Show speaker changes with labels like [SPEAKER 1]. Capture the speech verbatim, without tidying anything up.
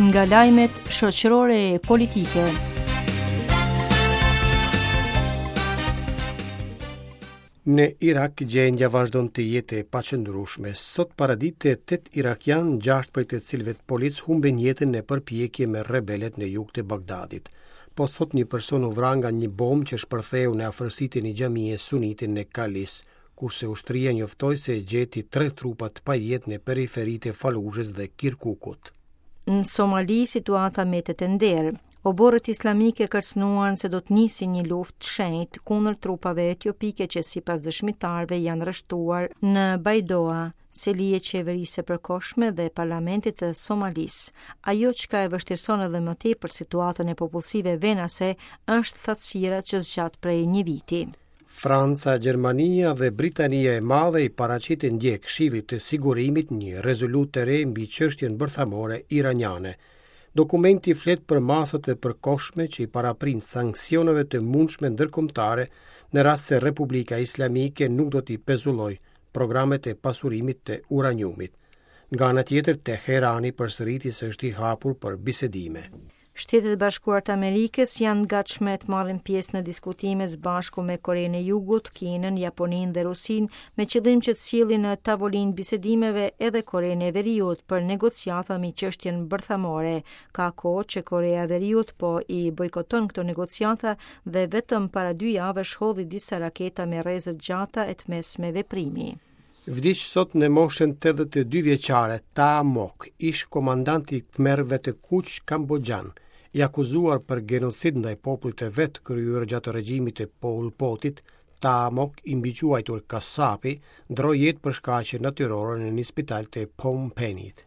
[SPEAKER 1] Nga lajmet shoqërore e politike.
[SPEAKER 2] Në Irak gjendja vazhdon të jetë e paqëndrueshme. Sot paradite tetë irakian, gjashtë prej të cilëve policë humbën jetën në përpjekje me rebelët në jug të Bagdadit. Po sot një person u vra nga një bombë që shpërtheu në afërsi të një xhamie sunite në Kalis, kurse ushtria njoftoi se gjeti tre trupa të pajetë në periferitë e Fallujës dhe Kirkukut.
[SPEAKER 1] Në Somali situata mbetet e nderë. Oborët islamike kërcënuan se do të nisin një luftë të shenjtë kundër trupave etiopike që sipas dëshmitarëve janë rreshtuar në Baidoa, seli e qeverisë së përkohshme dhe parlamentit të Somalisë. Ajo çka e vështirëson edhe më tepër situatën e popullsive venase është thatësira që zgjat prej një viti.
[SPEAKER 2] Franca, Gjermania dhe Britania e Madhe i paraqitën dje Këshillit të Sigurimit një rezolutë të re mbi çështjen bërthamore iraniane. Dokumenti flet për masat e përkohshme që i paraprin sanksioneve të mundshme ndërkombëtare në rast se Republika Islamike nuk do t'i pezullojë programet e pasurimit të uraniumit. Nga ana tjetër, Teherani përsëriti se është i hapur për bisedime.
[SPEAKER 1] Shtetet e Bashkuara të Amerikës janë gatshme të marrin pjesë në diskutime së bashku me Korenë e Jugut, Kinën, Japoninë dhe Rusinë, me qëllim që të sjellin në tavolinë bisedimeve edhe Korenë e Veriut për negociata mbi çështjen bërthamore. Ka kohë që Korea e Veriut po i bojkoton këto negociata dhe vetëm para dy javësh hodhi disa raketa me rreze të gjata e të mesme veprimi.
[SPEAKER 2] Vdiq sot në moshën tetëdhjetë e dy vjeçare Ta Mok, ish komandanti i Khmerëve të Kuq Kamboxhan, i akuzuar për gjenocid ndaj popullit të vet kryer gjatë regjimit të Pol Potit. Ta Mok, i mbiquajtur Kasapi, ndroi jetë për shkaqe natyrore në një spital të Phnom Penhit.